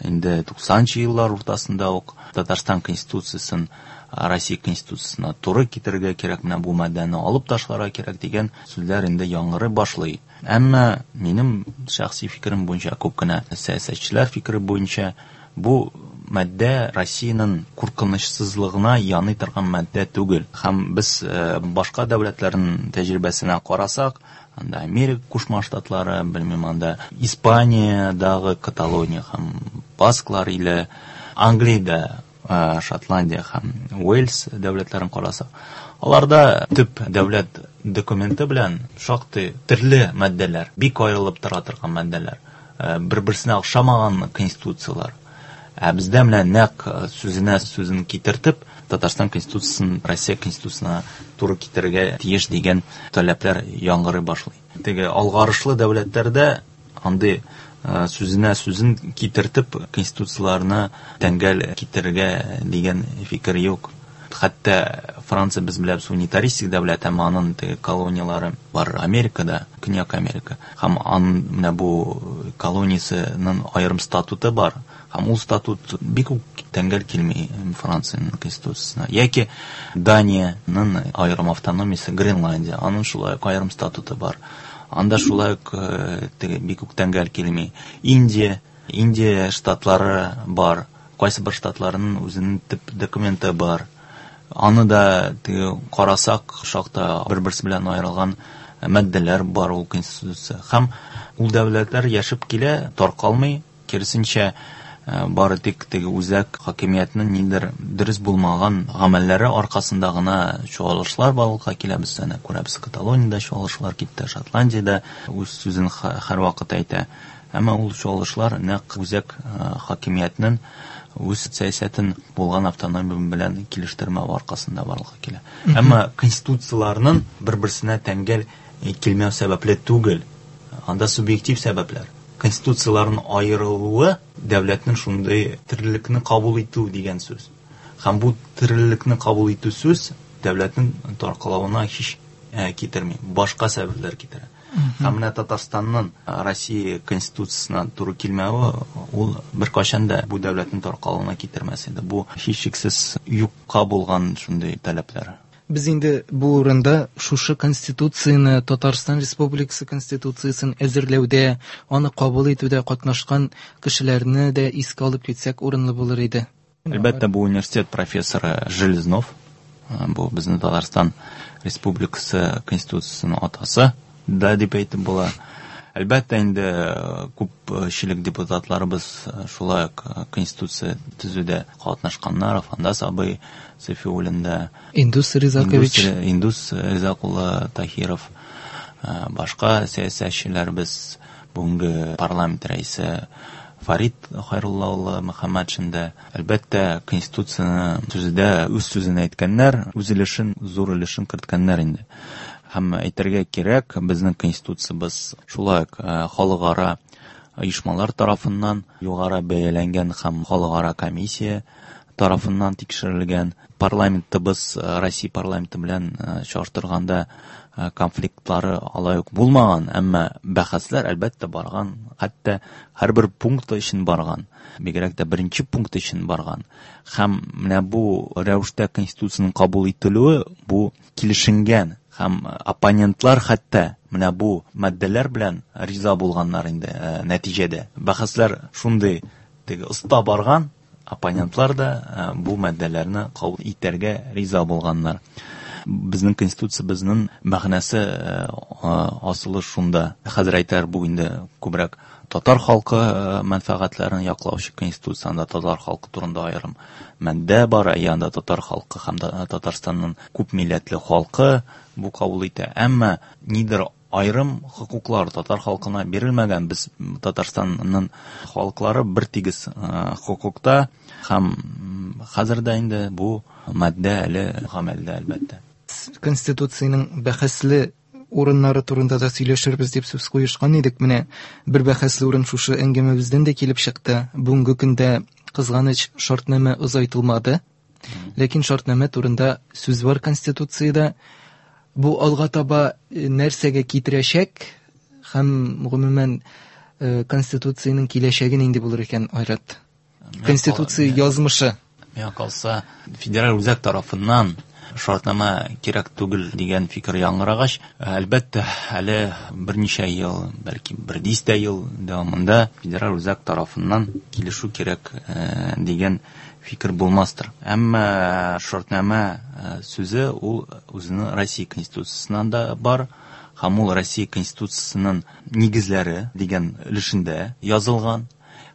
Инде туксанынчы еллар уртасында ук Татарстан Конституциясен Россия Конституциясенә туры китерергә кирәк, менә бу маддәне алып ташларга кирәк дигән сүзләр инде яңгырый башлый. Әмма минем шәхси фикерем буенча, күп кенә сәясәтчеләр фикере буенча, бу маддә Россиянең куркынычсызлыгына яный торган маддә түгел. Һәм без, э, башка дәүләтләрнең тәҗрибәсенә карасак, анда Америка Кушма Штатлары, белмим, анда Испаниядагы Каталония һәм Басклар иле, Англиядә, э, Шотландия һәм Уэльс дәүләтләрен карасак, аларда төп дәүләт документы белән шактый төрле маддәләр, бик аерылып тора торган маддәләр, э, бер-берсенә охшамаган конституцияләр. Ә бездә менә нәкъ сүзенә сүзен китертеп, Татарстан Конституциясен Россия Конституциясенә туры китерергә тиеш дигән таләпләр яңгырый башлый. Теге алгарышлы дәүләтләрдә андый сүзенә сүзен китертеп конституцияләрне тәңгәл китерергә дигән фикер юк. Хәтта Франция без беләбез унитаристик дәүләт, әмма аның теге колонияләре бар Америкада, Көньяк Америка. Һәм аның менә бу колониясенең аерым статуты бар. Һәм ул статут бик үк тәңгәл килми Франциянең конституциясенә. Яки Даниянең аерым автономиясе Гренландия, аның шулай ук аерым статуты бар. Анда шулай ук теге бик үк тәңгәл килми. Индия, Индия штатлары бар. Кайсы бер штатларының үзенең төп документы бар. Аны да теге карасак, шакта бер-берсе белән аерылган маддәләр бар ул конституция. Һәм ул дәүләтләр яшәп килә, таркалмый, киресенчә бары тик теге үзәк хакимиятнең ниндидер дөрес булмаган гамәлләре аркасында гына чуалышлар барлыкка килә. Без әнә күрәбез, Каталониядә чуалышлар китте, Шотландиядә үз сүзен һәрвакыт әйтә. Әмма ул чуалышлар нәкъ үзәк хакимиятнең үз сәясәтен булган автономия белән килештермәү аркасында барлыкка килә. Әмма конституцияләрнең бер-берсенә тәңгәл килмәү сәбәпле түгел. Анда субъектив сәбәпләр. Конституцияләрнең аерылуы дәүләтнең шундый терлекне кабул итү дигән сүз. Һәм бу терлекне кабул итү сүз дәүләтнең таркалуына һич китерми, башка сәбәпләр китерә. Һәм менә Татарстанның Россия Конституциясенә туры килмәве ул беркайчан да бу дәүләтнең таркалуына китермәс иде. Бу һичшиксез юкка булган шундый таләпләр. Без инде бу урында шушы Конституцияне, Татарстан Республикасы Конституциясен әзерләүдә, аны кабул итүдә катнашкан кешеләрне дә искә алып китсәк урынлы булыр иде. Әлбәттә, бу университет профессоры Железнов, бу безнең Татарстан Республикасы Конституциясенең атасы да дип әйтеп була. Әлбәттә, инде күпчелек депутатларыбыз шулай ук Конституция төзүдә катнашканнар. Афандас абый Сафиуллин да, Индус Ризакович, Индус Ризак улы Таһиров, башка сәясәтчеләребез, бүгенге парламент рәисе Фарид Хайрулла улы Мөхәммәтшин дә, әлбәттә, Конституцияне төзүдә үз сүзен әйткәннәр, үз өлешен, зур өлешен керткәннәр инде. Һәм әйтергә кирәк, безнең Конституциябез шулай ук халыкара оешмалар тарафыннан югары бәяләнгән һәм халыкара комиссия тарафыннан тикшерелгән. Парламентыбыз Россия парламенты белән чагыштырганда конфликтлары алай ук булмаган, әмма бәхәсләр әлбәттә барган, хәтта һәрбер пункт өчен барган, бигрәк тә беренче пункт өчен барган. Һәм менә бу рәвештә Конституциянең кабул ителүе бу килешенгән, һәм оппонентлар хәтта менә бу маддәләр белән риза булганнар инде нәтиҗәдә. Бәхәсләр шундый теге оста барган, оппонентлар да бу маддәләрне кабул итәргә риза булганнар. Безнең Конституциябезнең мәгънәсе асылы шунда. Хәзер әйтәр, бу инде күбрәк татар халкы мәнфәгатьләрен яклаучы Конституция, анда татар халкы турында аерым маддә бар, анда татар халкы һәм Татарстанның күп милләтле халкы бу кабул итә. Әмма нидер аерым хокуклар татар халкына бирелмәгән. Без Татарстанның халыклары бер тигез хокукта, һәм хәзер дә инде бу маддә әле гамәлдә, әлбәттә. Конституциянең бәхәсле урыннары турында да сөйләшербез дип сүз куешкан идек. Менә бер бәхәсле урын шушы әңгәмәбездән дә килеп чыкты. Бүгенге көндә кызганыч шартнамә озайтылмады. Ләкин шартнамә турында сүз бар Конституциядә. Бу алга таба нәрсәгә китерәчәк һәм гомумән Конституциянең киләчәге нинди булыр икән, Айрат? Конституция язмышы. Миңа калса, федераль үзәк тарафыннан шартнама кирәк түгел дигән фикер яңгырагач, әлбәттә, әле берничә ел, бәлки бер дистә ел дәвамында федераль үзәк тарафыннан килешү кирәк дигән фикер булмастыр. Әмма шартнама сүзе ул үзенең Россия Конституциясеннән дә бар, һәм ул Россия Конституциясенең нигезләре дигән өлешендә язылган.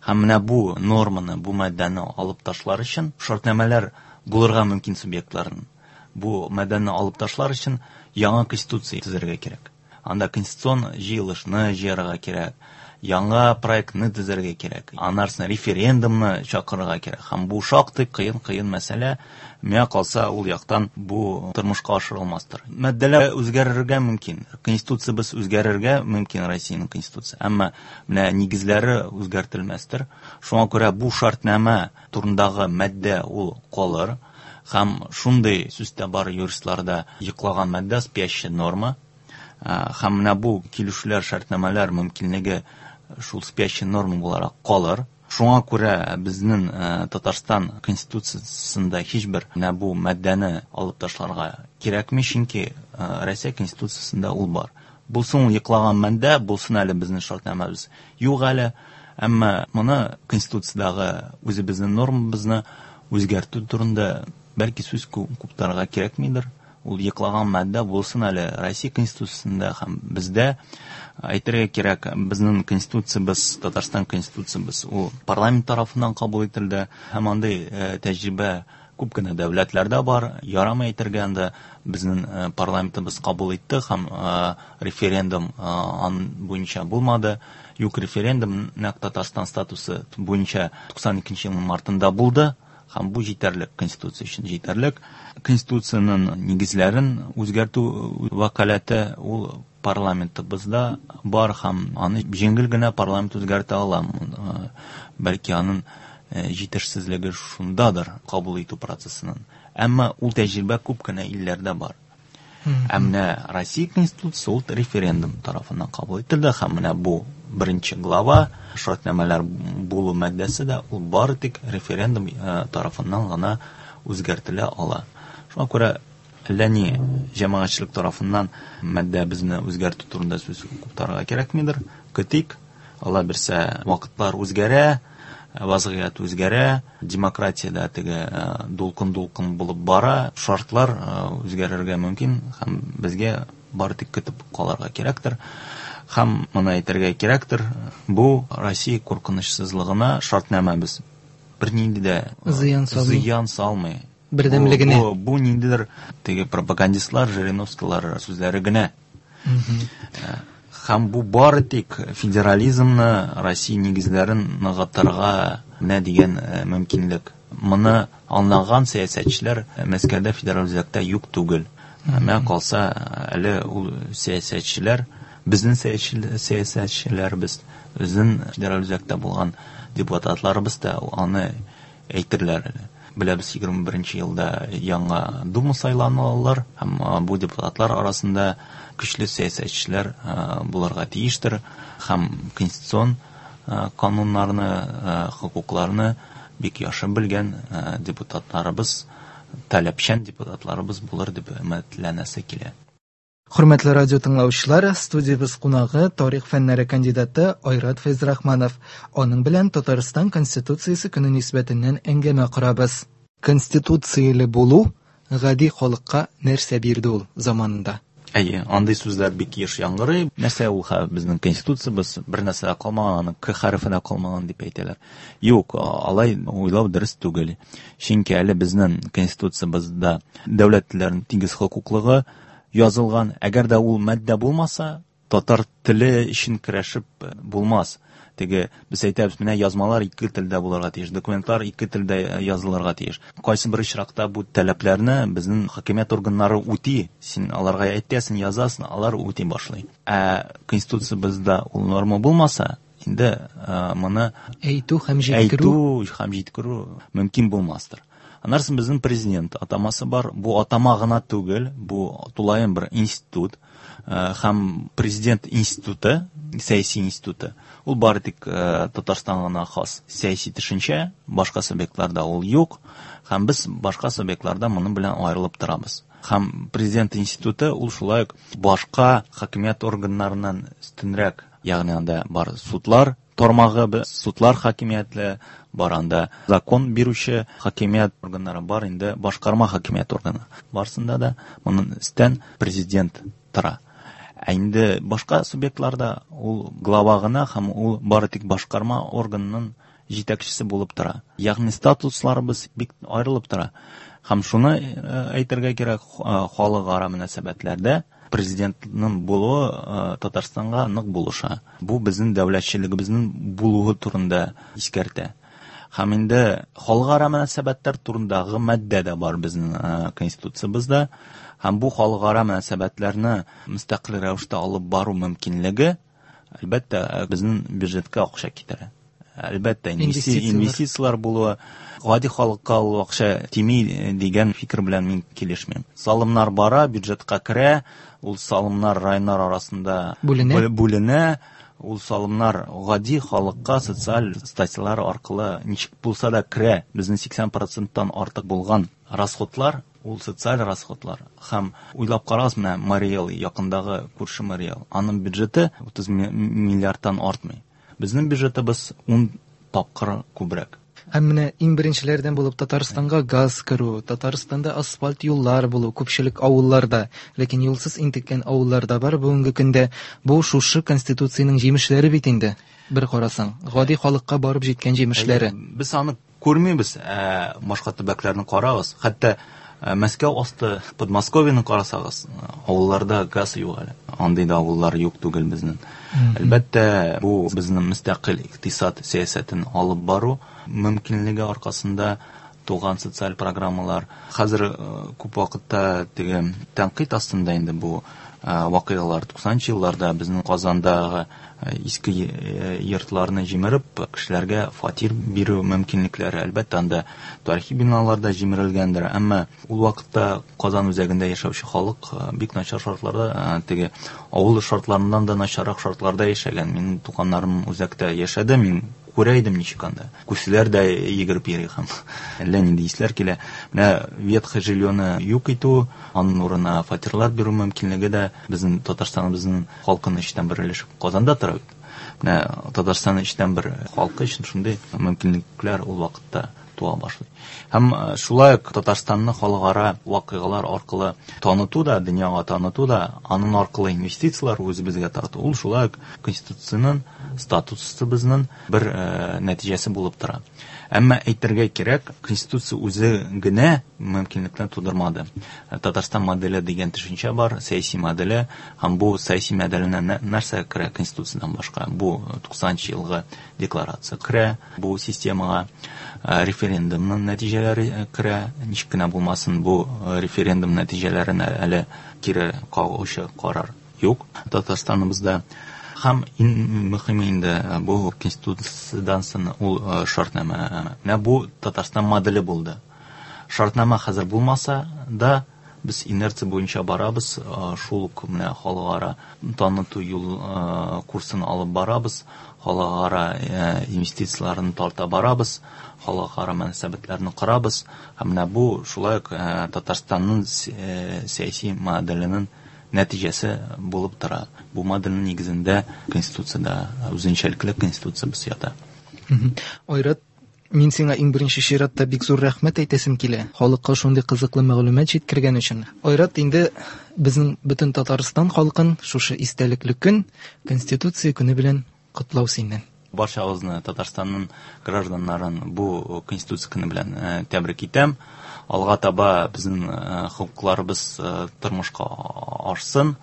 Һәм менә бу норманы, бу маддәне алып ташлар өчен шартнамәләр булырга мөмкин субъектларның. Бу маддәне алып ташлар өчен яңа конституция төзергә кирәк. Анда конституцион җыелышны җыярга кирәк, яңа проектны төзергә кирәк, анарсын референдумны чакырырга кирәк. Һәм бу шактый кыен-кыен мәсьәлә. Миңа калса, ул яктан бу тормышка ашырылмастыр. Маддәләр үзгәрергә мөмкин. Конституциябез үзгәрергә мөмкин, Россиянең конституциясе. Әмма менә нигезләре үзгәртелмәстер. Шуңа күрә бу шартнамә турындагы маддә ул калыр. Һәм шундый сүз дә бар юристларда: йоклаган маддә, спящая норма. Һәм менә бу килешүләр, шартнамәләр мөмкинлеге шул спящая норма буларак калыр. Шуңа күрә безнең Татарстан конституциясендә һичбер менә бу маддәне алып ташларга кирәкми, чөнки Россия конституциясендә ул бар. Булсын ул йоклаган маддә, булсын әле безнең шартнамәбез юк әле, әмма моны конституциядәге үзебезнең нормабызны үзгәртү турында бәлки сүз куптарырга кирәкмидер. Ул йоклаган маддә булсын әле Россия конституциясендә һәм бездә. Әйтергә кирәк, безнең конституциябез, Татарстан конституциябез ул парламент тарафыннан кабул ителде. Һәм андый тәҗрибә күп кенә дәүләтләрдә бар. Ярамый әйтергә, анда безнең парламентыбыз кабул итте һәм референдум ан буенча булмады. Юк, референдум нәкъ Татарстан статусы буенча туксан икенче елның мартында булды. Һәм бу җитәрлек, конституция өчен җитәрлек. Конституциянең нигезләрен үзгәртү вәкаләте ул парламентыбызда бар һәм аны җиңел генә парламент үзгәртә ала. Бәлки аның җитешсезлеге шундадыр кабул итү процессының. Әмма ул тәҗрибә күп кенә илләрдә бар. Ә менә Россия конституциясе ул референдум тарафыннан кабул ителде һәм менә бу беренче глава шартнамәләр булу маддәсе дә ул бары тик референдум тарафыннан гына үзгәртелә ала. Шуңа күрә әллә ни җәмәгатьчелек тарафыннан маддәбезне үзгәртү турында сүз куптарырга кирәкмидер. Көтик, Алла бирсә, вакытлар үзгәрә, вазгыять үзгәрә, демократиядә теге дулкын-дулкын булып бара, шартлар үзгәрергә мөмкин һәм безгә бары тик көтеп калырга кирәктер. Һәм моны әйтергә кирәктер, бу Россия куркынычсызлыгына шартнамәбез бернинди дә зыян салмый. Зыян салмый. Бердәмлегенә. Бу, бу, бу ниндидер теге пропагандистлар, Жириновскийлар сүзләре генә. Һәм бу бары тик федерализмны, Россия нигезләрен ныгытырга менә дигән мөмкинлек. Моны аңлаган сәясәтчеләр Мәскәүдә федераль үзәктә юк түгел. Миңа калса, әле ул сәясәтчеләр, безнең сәясәтчеләребез, безнең федераль үзәктә булган депутатларыбыз да аны әйтерләр әле. Беләбез, егерме беренче елда яңа Дума сайланалар һәм бу депутатлар арасында көчле сәясәтчеләр булырга тиештер һәм конституцион кануннарны, хокукларны бик яхшы белгән депутатларыбыз, таләпчән депутатларыбыз булыр дип өметләнәсе килә. Хөрмәтле радио тыңлаучылар, студиябез кунагы тарих фәннәре кандидаты Айрат Фәйзрахманов. Аның белән Татарстан Конституциясе көне нисбәтеннән әңгәмә корабыз. Конституцияле булу гади халыкка нәрсә бирде ул заманында? Әйе, андый сүзләр бик еш яңгырый. Нәрсә ул безнең конституциябез бер нәрсә дә калмаган, аның К хәрефе дә калмаган дип әйтәләр. Юк, алай уйлау дөрес түгел. Чөнки әле безнең конституциябездә дәүләт телләренең тигез хокуклыгы язылган. Әгәр дә ул маддә булмаса, татар теле өчен көрәшеп булмас. Теге без әйтәбез, менә язмалар ике телдә булырга тиеш, документлар ике телдә язылырга тиеш. Кайсы бер очракта бу таләпләрне безнең хакимият органнары үти, син аларга әйтәсең, язасың, алар үти башлый. Ә конституциябездә ул норма булмаса, инде моны әйтү һәм җиткерү, әйтү һәм җиткерү мөмкин булмастыр. Аннан соң безнең президент атамасы бар. Бу атама гына түгел, бу тулаем бер институт. Һәм президент институты, сәяси институты, ул бары тик Татарстанга гына хас сәяси төшенчә, башка субъектларда ул юк. Һәм без башка субъектларда моның белән аерылып торабыз. Һәм президент институты ул шулай ук башка хакимият органнарыннан өстенрәк, ягъни анда бар судлар тармагы, судлар хакимиятле, бар анда закон бирүче хакимият органнары бар, инде башкарма хакимият органы. Барсында да моның өстен президент тора. Ә инде башка субъектларда ул глава гына һәм ул бары тик башкарма органының җитәкчесе булып тора. Ягъни статусларыбыз бик аерылып тора. Һәм шуны әйтергә кирәк, халыкара мөнәсәбәтләрдә Президентның булуы Татарстанга нык булыша. Бу безнең дәүләтчелегебезнең булуы турында искәртә. Һәм инде халыкара мөнәсәбәтләр турындагы маддә дә бар безнең конституциябездә. Һәм бу халыкара мөнәсәбәтләрне мөстәкыйль рәвештә алып бару мөмкинлеге, әлбәттә, безнең бюджетка акча китерә. Әлбәттә, инвестицияләр булуы, гади халыкка ул акча тими дигән фикер белән мин килешмим. Салымнар бара, бюджетка керә, ул салымнар районнар арасында бүленә. бүленә. Ул салымнар гади халыкка социаль статьялар аркылы ничек булса да керә. Безнең сиксән проценттан артык булган расходлар, ул социаль расходлар. Һәм уйлап карагыз, менә Мариэл, якындагы күрше Мариэл, аның бюджеты утыз миллиардтан артмый. Безнең бюджетыбыз ун тапкыр күбрәк. Һәм менә иң беренчеләрдән булып Татарстанга газ керү, Татарстанда асфальт юллар булу, күпчелек авылларда, ләкин юлсыз интеккән авылларда бар бүгенге көндә. Бу шушы конституциянең җимешләре бит инде, бер карасаң, гади халыкка барып җиткән җимешләре. Без аны күрмибез, ә башка төбәкләрне карагыз, хәтта Мәскәү асты Подмосковьены карасагыз, авылларда газ юк әле. Андый да авыллар юк түгел безнең. Әлбәттә, бу безнең мөстәкыйль икътисад сәясәтен алып бару мөмкинлеге аркасында туган социаль программалар. Хәзер күп вакытта теге тәнкыйть астында инде бу вакыйгалар. Туксанынчы елларда безнең Казандагы иске йортларны җимереп, кешеләргә фатир бирү мөмкинлекләре, әлбәттә, анда тарихи биналар да җимерелгәндер, әмма ул вакытта Казан үзәгендә яшәүче халык бик начар шартларда, теге авыл шартларыннан да начаррак шартларда яшәгән. Минем туганнарым үзәктә яшәде, мин күрә идем ничек анда. Күселәр дә йөгереп йөри һәм әллә нинди исләр килә. Менә ветхое жильёны юк итү, аның урынына фатирлар бирү мөмкинлеге дә безнең Татарстаныбызның халкының өчтән бер өлеше Казанда тора бит. Менә Татарстанның өчтән бер халкы өчен шундый мөмкинлекләр ул вакытта туа башлый. Һәм шулай ук Татарстанны халыкара вакыйгалар аркылы таныту да, дөньяга таныту да, аның аркылы инвестицияләр үзебезгә тарту, ул шулай ук конституциянең статусыбызның бер нәтиҗәсе булып тора. Әмма әйтергә кирәк, конституция үзе генә мөмкинлекне тудырмады. Татарстан моделе дигән төшенчә бар, сәяси моделе, һәм бу сәяси моделенә нәрсә керә конституциядән башка? Бу туксанынчы елгы декларация керә, бу системага референдумның нәтиҗәләре керә. Ничек кенә булмасын, бу референдум нәтиҗәләренә әле кире кагучы карар юк Татарстаныбызда. Һәм иң мөһиме инде бу конституциядән соң ул шартнамә. Менә бу Татарстан моделе булды. Шартнамә хәзер булмаса да, без инерция буенча барабыз, шул ук менә халыкара таныту юл курсын алып барабыз, халыкара инвестицияләрне тарта барабыз, халыкара мөнәсәбәтләрне корабыз. Һәм менә бу шулай ук Татарстанның сәяси моделенең нәтиҗәсе булып тора. Бу модельнең нигезендә конституциядә үзенчәлекле конституциябез ята. Айрат, мин сиңа иң беренче чиратта бик зур рәхмәт әйтәсем килә. Халыкка шундый кызыклы мәгълүмат җиткергән өчен. Айрат, инде безнең бөтен Татарстан халкын шушы истәлекле көн, Конституция көне белән котлау синнән. Барчагызны, Татарстанның гражданнарын бу Конституция көне белән тәбрик итәм. Алга таба безнең хокукларыбыз тормышка ашсын,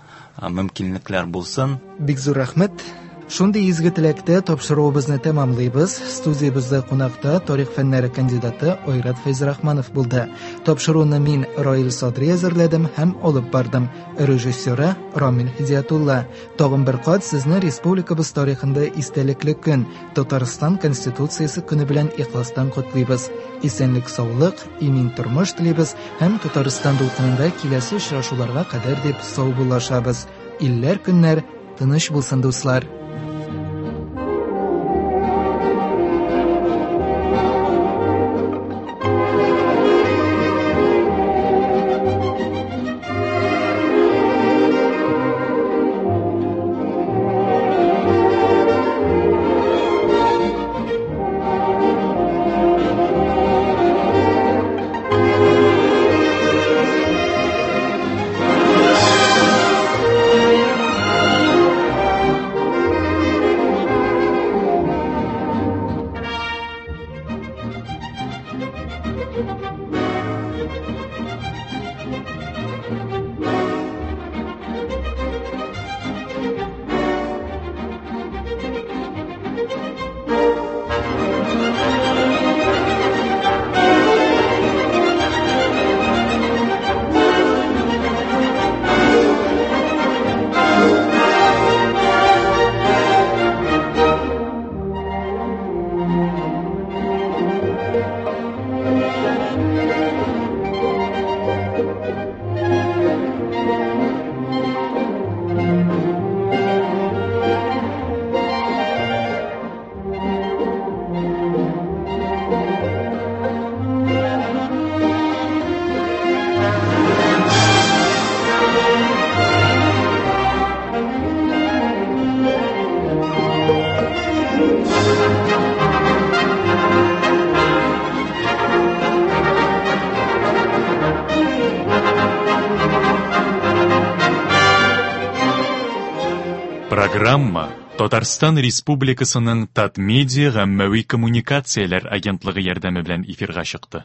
мөмкинлекләр булсын. Бик зур рәхмәт. Шундый изге теләктә тапшыруыбызны тәмамлыйбыз. Студиябездә кунакта тарих фәннәре кандидаты Айрат Фәйзрахманов булды. Тапшыруны мин Раил Садри әзерләдем һәм алып бардым. Режиссеры Рамил Һидиятулла. Тагын бер кат сезне республикабыз тарихында истәлекле көн, Татарстан Конституциясе көне белән ихластан котлыйбыз. Исәнлек, саулык, имин тормыш телибез һәм Татарстан дулкынында киләсе очрашуларга кадәр дип саубуллашабыз. Илләр көннәр тыныч булсын, дуслар. Программа Татарстан Республикасының Татмедиа гаммәви коммуникацияләр агентлыгы ярдәме белән эфирга чыкты.